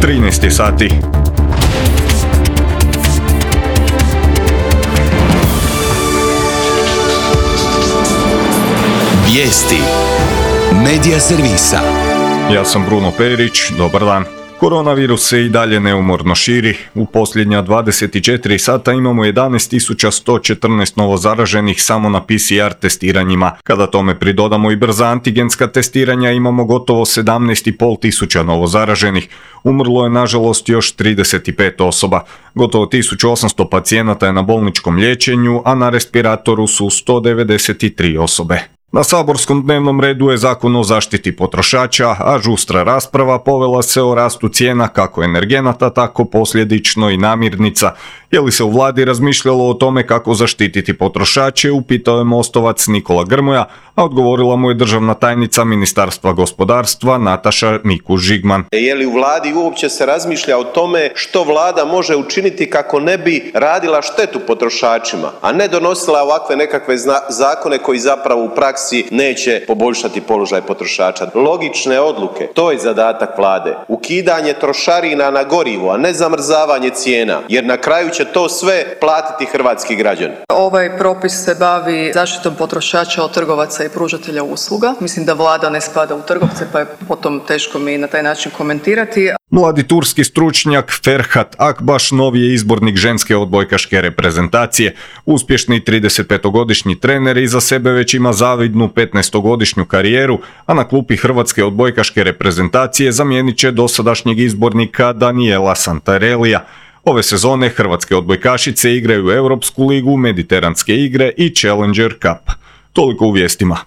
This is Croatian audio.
13 je sati. Vijesti Medija servisa. Ja sam Bruno Perić, dobar dan. Koronavirus se i dalje neumorno širi. U posljednja 24 sata imamo 11.114 novozaraženih samo na PCR testiranjima. Kada tome pridodamo i brza antigenska testiranja, imamo gotovo 17.500 novozaraženih. Umrlo je nažalost još 35 osoba. Gotovo 1800 pacijenata je na bolničkom liječenju, a na respiratoru su 193 osobe. Na saborskom dnevnom redu je Zakon o zaštiti potrošača, a žustra rasprava povela se o rastu cijena kako energenata, tako posljedično i namirnica. Je li se u vladi razmišljalo o tome kako zaštititi potrošače, upitao je Mostovac Nikola Grmoja, a odgovorila mu je državna tajnica Ministarstva gospodarstva Nataša Mikuš-Žigman. Je li u vladi uopće se razmišlja o tome što vlada može učiniti kako ne bi radila štetu potrošačima, a ne donosila ovakve nekakve zakone koji zapravo u praksi neće poboljšati položaj potrošača. Logične odluke, to je zadatak vlade. Ukidanje trošarina na gorivo, a ne zamrzavanje cijena, jer na kraju će to sve platiti hrvatski građani. Ovaj propis se bavi zaštitom potrošača od trgovaca i pružatelja usluga. Mislim da vlada ne spada u trgovce, pa je potom teško mi na taj način komentirati. Mladi turski stručnjak Ferhat Akbaš novi je izbornik ženske odbojkaške reprezentacije. Uspješni 35-godišnji trener iza sebe već ima zavidnu 15-godišnju karijeru, a na klupi hrvatske odbojkaške reprezentacije zamijenit će dosadašnjeg izbornika Daniela Santarellija. Ove sezone hrvatske odbojkašice igraju Europsku ligu, Mediteranske igre i Challenger Cup. Toliko u vijestima.